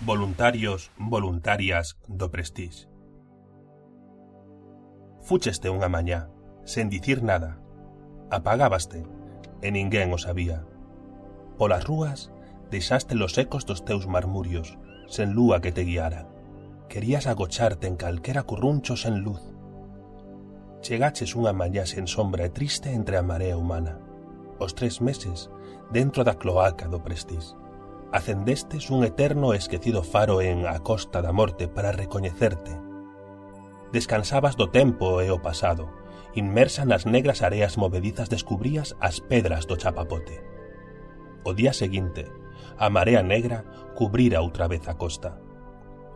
Voluntarios, voluntarias do Prestige. Fúcheste unha mañá, sen dicir nada. Apagábaste, e ninguén o sabía. Polas rúas, deixaste los ecos dos teus marmurios, sen lúa que te guiara. Querías agocharte en calquera curruncho sen luz. Chegaches unha mañá sen sombra e triste entre a marea humana. Os 3 meses, dentro da cloaca do Prestige. Acendestes un eterno e esquecido faro en A Costa da Morte para recoñecerte. Descansabas do tempo e o pasado. Inmersa nas negras areas movedizas descubrías as pedras do chapapote. O día seguinte, a marea negra cubrira outra vez a costa.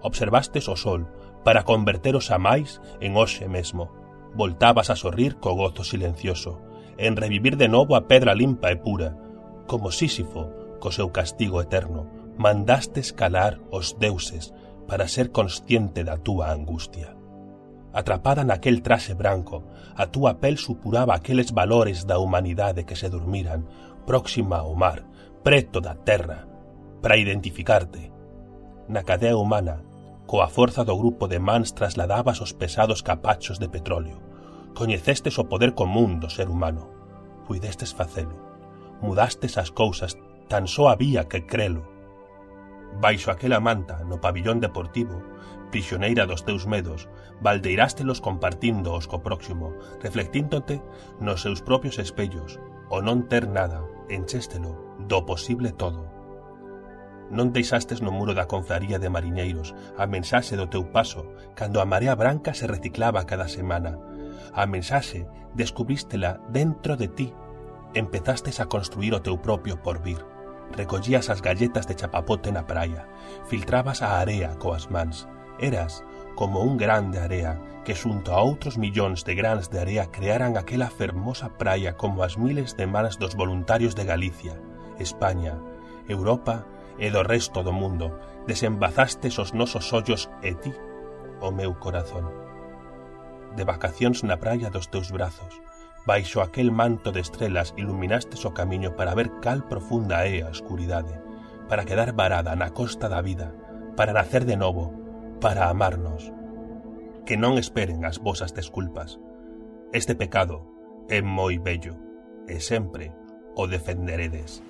Observastes o sol para converteros a máis en hoxe mesmo. Voltabas a sorrir co gozo silencioso, en revivir de novo a pedra limpa e pura, como Sísifo, co seu castigo eterno, mandastes calar os deuses para ser consciente da túa angustia. Atrapada naquel traxe branco, a túa pel supuraba aqueles valores da humanidade que se durmiran, próxima ao mar, preto da terra, para identificarte. Na cadea humana, coa forza do grupo de mans trasladabas os pesados capachos de petróleo. Coñecestes o poder común do ser humano. Puidestes facelo. Mudastes as cousas, tan só había que crelo. Baixo aquela manta, no pabillón deportivo, prisioneira dos teus medos, baldeirástelos compartíndoos co próximo, reflectíndote nos seus propios espellos, o non ter nada, enchéstelo, do posible todo. Non deixastes no muro da confraría de mariñeiros a mensaxe do teu paso, cando a marea branca se reciclaba cada semana. A mensaxe descubrístela dentro de ti. Empezastes a construir o teu propio porvir. Recollías as galletas de chapapote na praia, filtrabas a area coas mans. Eras como un grán de area que xunto a outros millóns de grans de area crearan aquela fermosa praia como as miles de mans dos voluntarios de Galicia, España, Europa e do resto do mundo. Desembazastes os nosos ollos e ti, o meu corazón. De vacacións na praia dos teus brazos, baixo aquel manto de estrelas iluminastes o camiño para ver cal profunda é a escuridade, para quedar varada na costa da vida, para nacer de novo, para amarnos. Que non esperen as vosas desculpas. Este pecado é moi bello, e sempre o defenderedes.